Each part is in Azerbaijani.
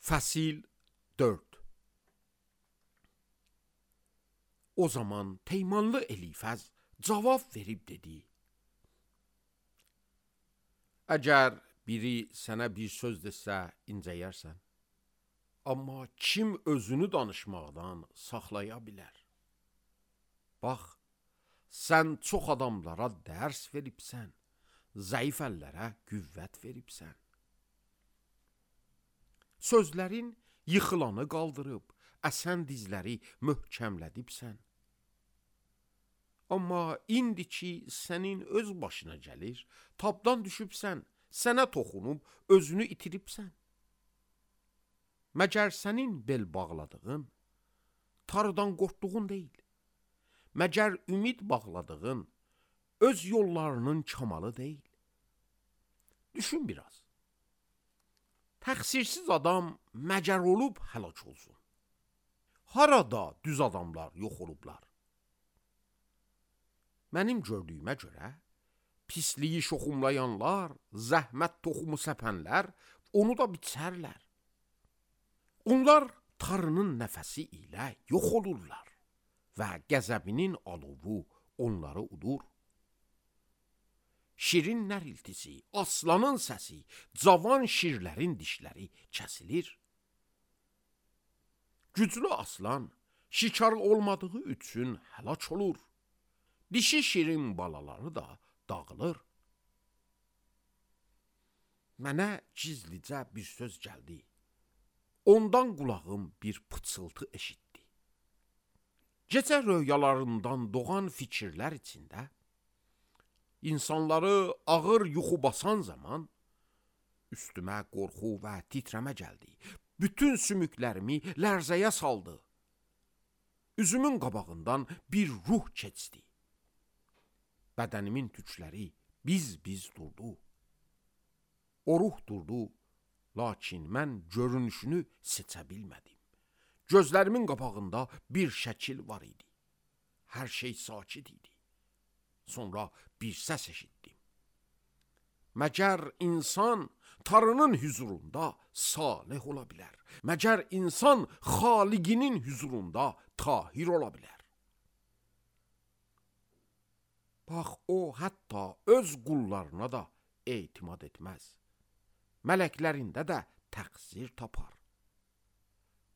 Fəsil 4. O zaman Teymanlı Elifəz cavab verib dedi: Əgər biri sənə bir söz desə incəyərsən, amma kim özünü danışmaqdan saxlaya bilər? Bax, sən çox adamlara dərs veribsən, zəif əllərə qüvvət veribsən. Sözlərin yıxılanı qaldırıb, əsən dizləri möhkəmlədibsən. Amma indi ki, sənin öz başına gəlir, tabdan düşübsən, sənə toxunub, özünü itiribsən. Məgər sənin bel bağladığın, tarıdan qorxduğun deyil. Məgər ümid bağladığın, öz yollarının kamalı deyil. Düşün biraz. Təqsirsiz adam məcər olub həlak olsun. Harada düz adamlar yox olublar? Mənim gördüyümə görə, pisliyi şoxumlayanlar, zəhmət toxumu səpənlər, onu da biçərlər. Onlar tarının nəfəsi ilə yox olurlar və qəzəbinin alovu onları udur. Şirin nəriltisi, aslanın səsi, cavan şirlərin dişləri kəsilir. Güclü aslan şikar olmadığı üçün həlak olur. Dişi şirin balaları da dağılır. Mənə gizlicə bir söz gəldi. Ondan qulağım bir pıçıltı eşitdi. Gecə röyalarından doğan fikirlər içində, İnsanları ağır yuxu basan zaman üstümə qorxu və titrəmə gəldi. Bütün sümüklərimi lərzəyə saldı. Üzümün qabağından bir ruh keçdi. Bədənimin tükləri biz durdu. O ruh durdu, lakin mən görünüşünü seçə bilmədim. Gözlərimin qabağında bir şəkil var idi. Hər şey sakit idi. Sonra bir səs eşitdim. Məgər insan tarının hüzurunda salih ola bilər? Məgər insan xaliqinin hüzurunda tahir ola bilər? Bax, o hətta öz qullarına da etimad etməz. Mələklərində də təqsir tapar.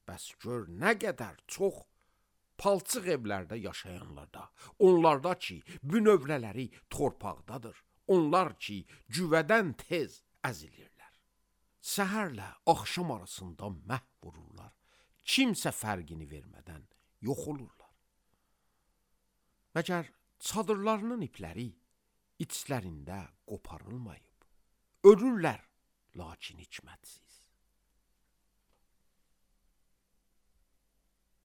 Bəs gör nə qədər çox palçıq evlərdə yaşayanlarda, onlarda ki, bünövrələri torpaqdadır, onlar ki, güvədən tez əzilirlər. Səhərlə axşam arasında məhv vururlar, kimsə fərqini vermədən yox olurlar. Məgər çadırlarının ipləri içlərində qoparılmayıb, ölürlər, lakin hikmətsiz.